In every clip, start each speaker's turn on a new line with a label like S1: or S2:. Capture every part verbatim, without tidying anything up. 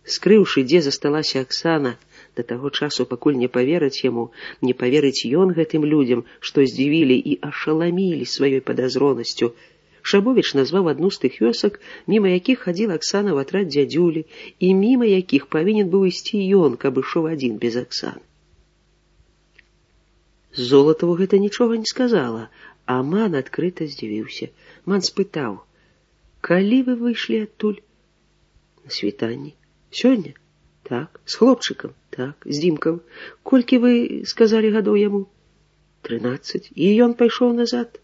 S1: Скрыўшы, дзе засталася Аксана, да таго часу, пакуль не паверыць яму, не паверыць ён гэтым людзям, што здзівілі і ашаламілі сваёй падазронасцю, Шабовіч назваў адну з тых вёсак, міма якіх хадзіла Аксана ў атрад дзядзюлі, і міма якіх павінен быў ісці ён, каб ішоў адзін без Аксаны. Золатаву гэта нічога не сказала, а Ман адкрыта здзівіўся. Ман спытаў: «Калі вы выйшлі адтуль?» «На світанні». «Сёння?» «Так». «З хлопчыкам?» «Так». «З Дзімкам?» «Колькі вы сказалі гадоў яму?» «Трынаццаць». «І ён пайшоў назад?»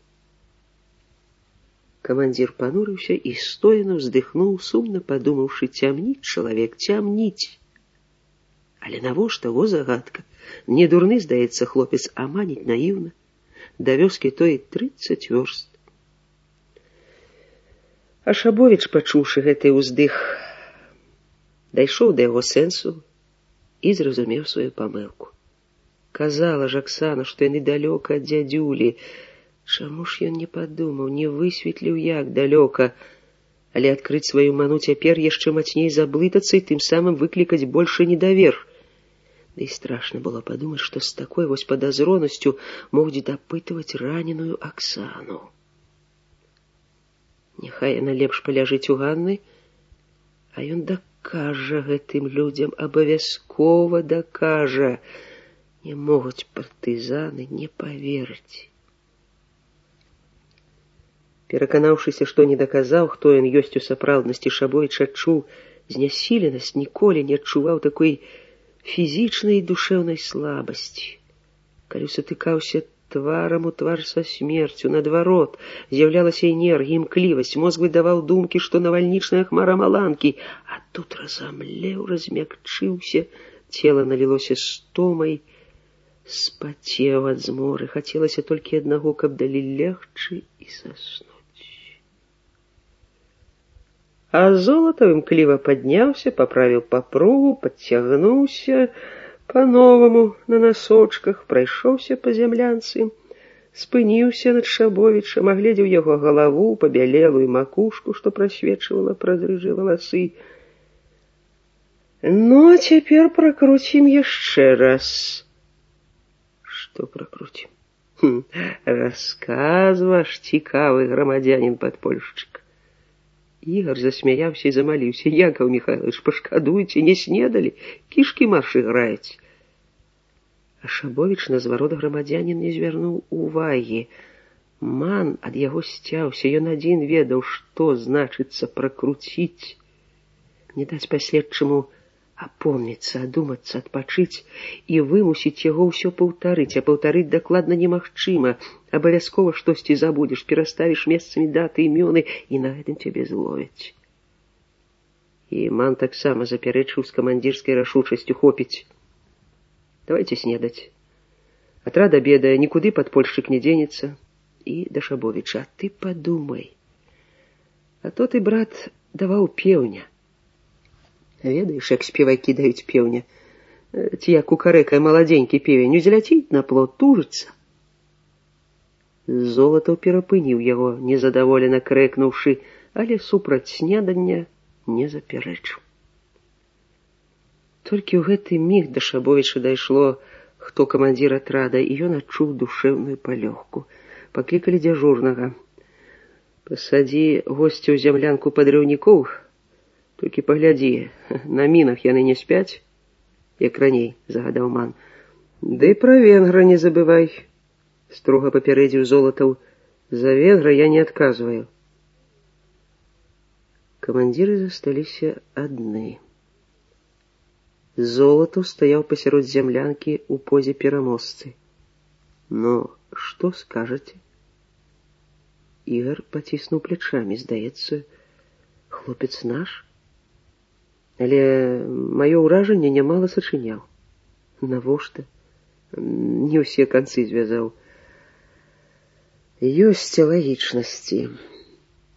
S1: Камандзір панурыўся і стояна ўздыхнуў, сумна падумаўшы: цямніць чалавек, цямніць. Але навошта, во загадка. Не дурны, здаецца, хлопец, а маніць наіўна. Да вёскі той трыццаць вёрст. А Шабовіч, пачуўшы гэты ўздых, дайшоў да яго сэнсу і зразумеў сваю памылку. Казала ж Аксана, што яны далёка ад дзядзюлі. Чаму ж ён не падумаў, не высветліў, як далёка, але адкрыць сваю ману цяпер яшчэ мацней заблытацца і тым самым выклікаць большы недавер. Да і страшна было падумаць, што з такой вось падазронасцю могуць дапытваць раненую Аксану. Няхай яна лепш паляжыць у Ганны, а ён дакажа гэтым людзям, абавязкова дакажа. Не могуць партызаны не паверыць. Пераканаўшыся, што не даказаў, хто ён ёсць у сапраўднасці, Шабовіч адчуў знясіленасць, ніколі не адчуваў такой фізічнай і душэўнай слабасці. Калі сутыкаўся тварам у твар са смерцю, наадварот, з'яўлялася энергія, імклівасць, мозг выдаваў думкі, што навальнічная хмара маланкі, а тут разамлеў, размякчыўся, цела налілося стомай, спацеў ад зморы, хацелася толькі аднаго, каб далі легчы і заснуць. А Золатаў імкліва падняўся, паправіў папругу, падцягнуўся па-новаму на насочках, прайшоўся па зямлянцы, спыніўся над Шабовічам, агледзеў яго галаву, пабялелую макушку, што прасвечвала праз рыжыя валасы. Ну, а цяпер пракруцім яшчэ раз. Што пракруцім? Хм, расказ ваш, цікавы грамадзянін падпольшчык. Ігар засмяяўся і замаліўся: Якаў Міхайлович, пашкадуйце, не снедалі, кішкі марш іграюць. А Шабовіч на зварот грамадзянін не звярнуў увагі. Ман ад яго сцяўся, ён адзін ведаў, што значыцца пракруціць. Не даць паследчаму апомніцца, адумацца, адпачыць і вымусіць яго ўсё паўтарыць, а паўтарыць дакладна немагчыма. Абавязкова штосьці забудзеш, пераставіш месцамі даты, імёны, і на гэтым цябе зловяць. І Ман таксама запярэчыў з камандзірскай рашучасцю: хопіць. Давайте снедаць. Атрад абедае, нікуды падпольшчык не дзенецца. І да Шабовіча: а ты падумай. А то ты, брат, даваў пеўня. Ведаеш, як спевакі даюць пеўня? Ці як кукарэкае маладзенькі певень, узляціць на плот, тужыцца. Золатаў перапыніў яго, незадаволена крэкнуўшы, але супраць снедання не запярэчыў. Толькі ў гэты міг да Шабовіча дайшло, хто камандзір атрада, і ён адчуў душэўную палёгку. Паклікалі дзяжурнага. Пасадзі госця ў зямлянку падрыўнікоў, толькі паглядзі, на мінах яны не спяць, як раней, загадаў Ман. Ды пра венгра не забывай, строга папярэдзіў Золатаў. За венгра я не адказваю. Камандзіры засталіся адны. Золатаў стаяў пасярод зямлянкі ў позе пераможцы. Ну, што скажаце? Ігар паціснуў плячамі. Здаецца, хлопец наш. Але маё ўражанне нямала сачыняў. Навошта? Не ўсе канцы звязаў. Ёсць лагічнасці.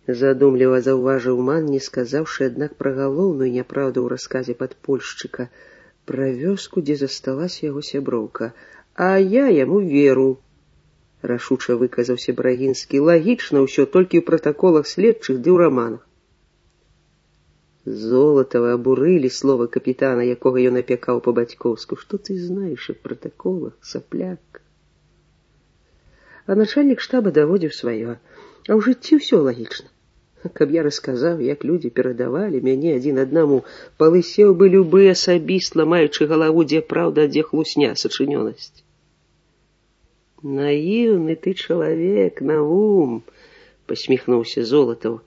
S1: Задумліва заўважыў Ман, не сказаўшы, аднак, пра галоўную няправду ў расказе падпольшчыка, пра вёску, дзе засталася яго сяброўка. А я яму веру, рашуча выказаўся Брагінскі. Лагічна ўсё, толькі ў пратаколах следчых ды ў раманах. Золатова абурылі слова капітана, якога ён апякаў па-бацькоўску. Што ты знаеш аб пратаколах, сапляк? А начальнік штаба даводзіў сваё. А ў жыцці ўсё лагічна. Каб я расказаў, як людзі перадавалі мяне адзін аднаму, палысеў бы любы асабіст, ламаючы галаву, дзе праўда, а дзе хлусня, сачынёнасць. Наіўны ты чалавек, Наум, посміхнуўся Золатаў.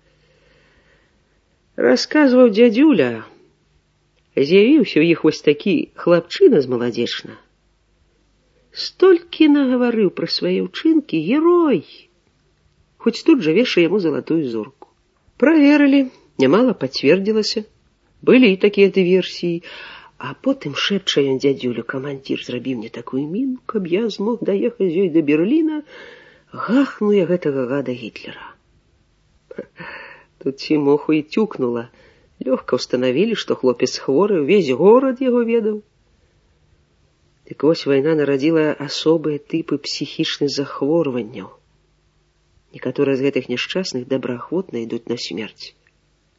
S1: Расказваў дзядзюля, з'явіўся ў іх вось такі хлапчына змаладзечна. Столькі нагаварыў пра свае ўчынкі, герой. Хоць тут жа вешае яму залатую зорку. Праверылі, нямала пацвердзілася. Былі і такія дыверсіі. А потым шэпча ён дзядзюлю: камандзір зрабіў мне такую міну, каб я змог даехаць з ёй да Берліна, гахну я гэтага гада Гітлера. Тут Цімоху і тюкнула. Лёгка ўстанавілі, што хлопец хворы, увесь горад яго ведаў. Дык вось вайна нарадзіла асобыя тыпы псіхічных захворванняў. Некаторыя з гэтых няшчасных добраахвотна ідуць на смерць.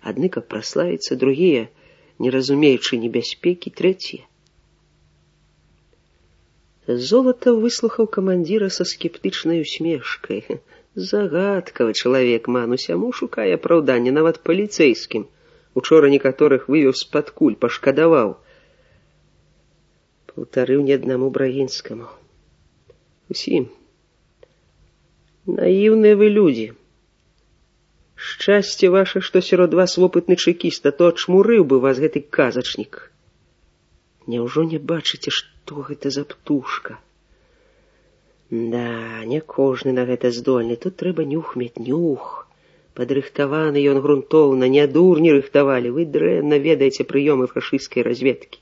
S1: Адны, каб праславіцца, другія, не разумеючы небяспекі, трэція. Золатаў выслухаў камандзіра са скептычнай усмешкай. Загадкавы чалавек, ман, усяму шукае апраўданне, нават паліцэйскім. Учора некаторых вывеў з-пад куль, пашкадаваў. Паўтарыў не аднаму Брагінскаму. Усім. Наіўныя вы людзі. Шчасце ваше, што сярод вас вопытны чэкіст, а то адчмурыў бы вас гэты казачнік. Няўжо не бачыце, што гэта за птушка? Да, не кожны на гэта здольны. Тут трэба нюх мець, нюх. Падрыхтаваны ён грунтоўна, не дурні рыхтавалі. Вы дрэнна ведаеце прыёмы фашысцкай разведкі.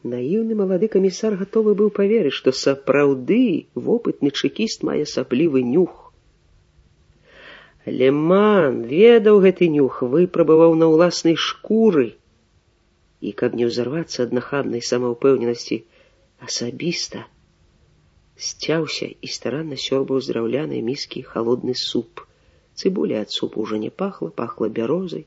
S1: Наіўны малады камісар гатовы быў паверыць, што сапраўды вопытны чэкіст мае асаблівы нюх. Але ман ведаў гэты нюх, выпрабаваў на ўласнай шкуры. І каб не ўзарвацца ад нахабнай самаўпэўненасці, асабіста сцяўся і старанна сёрбаў з драўлянай міскі халодны суп. Цыбуля ад супу ўжо не пахла, пахла бярозай.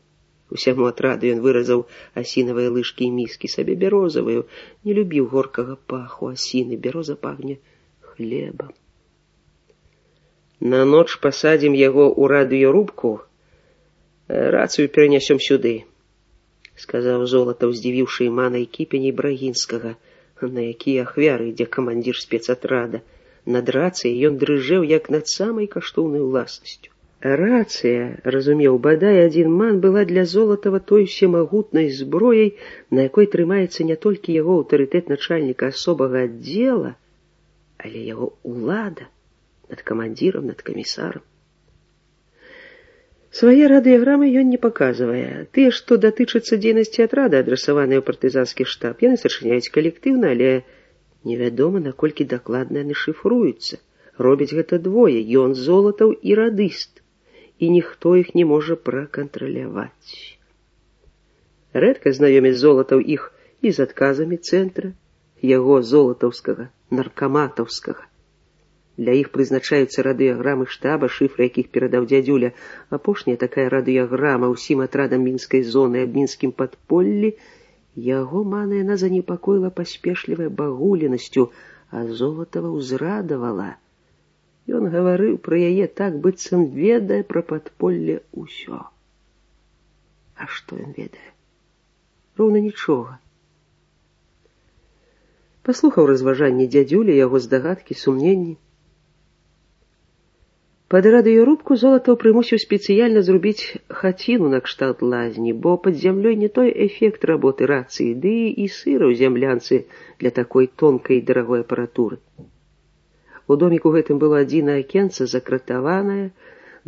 S1: Усяму атраду ён выразаў асінавыя лыжкі і міскі, сабе бярозавую. Не любіў горкага паху асіны, бяроза пахне хлебам. На ноч пасадзім яго ў радыёрубку, рацыю перанясём сюды, сказаў Золатаў, здзівіўшы Імана і кіпеней Брагінскага, на якія ахвяры ідзе камандзір спецатрада. Над рацыяй ён дрыжэў, як над самай каштоўнай уласнасцю. Рацыя, разумеў, бадай адзін ман, была для Золатава той усемагутнай зброяй, на якой трымаецца не толькі яго аўтарытэт начальніка асобага аддзела, але яго ўлада над камандзірам, над камісарам. Свае радыяграмы ён не паказвае. Тыя, што датычацца дзейнасці атрада, адрасаваныя ў партызанскі штаб, яны сачыняюць калектыўна, але невядома, наколькі дакладна яны шыфруюцца. Робяць гэта двое, ён Золатаў і радыст, і ніхто іх не можа пракантраляваць. Рэдка знаёміць Золатаў іх і з адказамі цэнтра, яго золатаўскага, наркаматаўскага. Для іх прызначаюцца радыяграмы штаба, шыфры якіх перадаў дзядзюля. Апошняя такая радыяграма ўсім атрадам мінскай зоны аб мінскім падполлі. Яго мана яна занепакоіла паспешлівай багулінасцю, а Золатава ўзрадавала. Ён гаварыў пра яе так, быццам ведае пра падполле ўсё. А што ён ведае? Роўна нічога. Паслухаў разважанні дзядзюля, яго здагадкі, сумненні. Пад радыёрубку Золатаў прымусіў спецыяльна зрубіць хаціну накшталт лазні, бо пад зямлёй не той эфект работы рацыі, ды і сыра ў зямлянцы для такой тонкай і дарагой апаратуры. У доміку гэтым было адзінае акенца, закратаванае,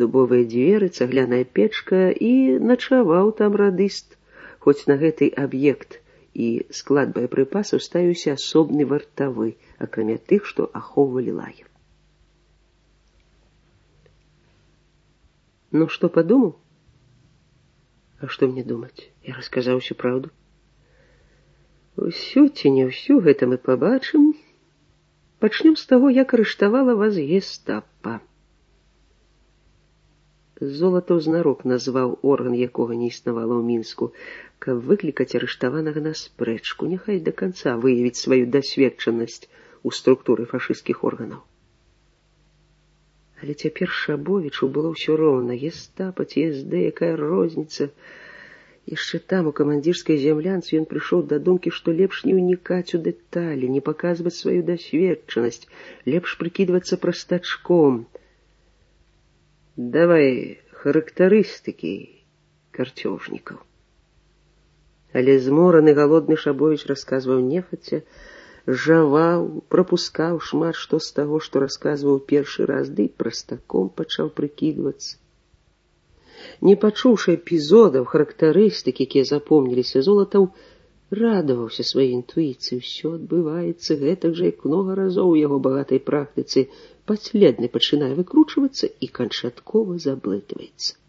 S1: дубовыя дзверы, цагляная печка, і начаваў там радыст, хоць на гэты аб'ект і склад боепрыпасаў ставіўся асобны вартавы, акрамя тых, што ахоўвалі лагер. Ну, што падумаў? А што мне думаць? Я расказаў усю праўду. Усю ці не ўсю, гэта мы пабачым. Пачнем з таго, як арыштавала вас гестапа. Золатаў знарок назваў орган, якога не існавала ў Мінску, каб выклікаць арыштаванага на спрэчку, няхай да канца выявіць сваю дасведчанасць у структуры фашысцкіх органаў. Але цяпер Шабовічу было ўсё роўна. Гестапа ці эс дэ, якая розніца? Яшчэ там, у камандзірскай зямлянцы, ён прыйшоў да думкі, што лепш не ўнікаць у дэталі, не паказваць сваю дасведчанасць, лепш прыкідвацца прастачком. Давай характарыстыкі карцёжнікаў. Але змораны галодны Шабовіч расказваў нехаця, жаваў, прапускаў шмат што з таго, што расказваў першы раз, ды і прастаком пачаў прыкідвацца. Не пачуўшы эпізодаў, характарыстык, якія запомніліся, Золатаў радаваўся сваёй інтуіцыі. Усё адбываецца гэтак жа, як многа разоў у яго багатай практыцы, падследны пачынае выкручвацца і канчаткова заблытваецца.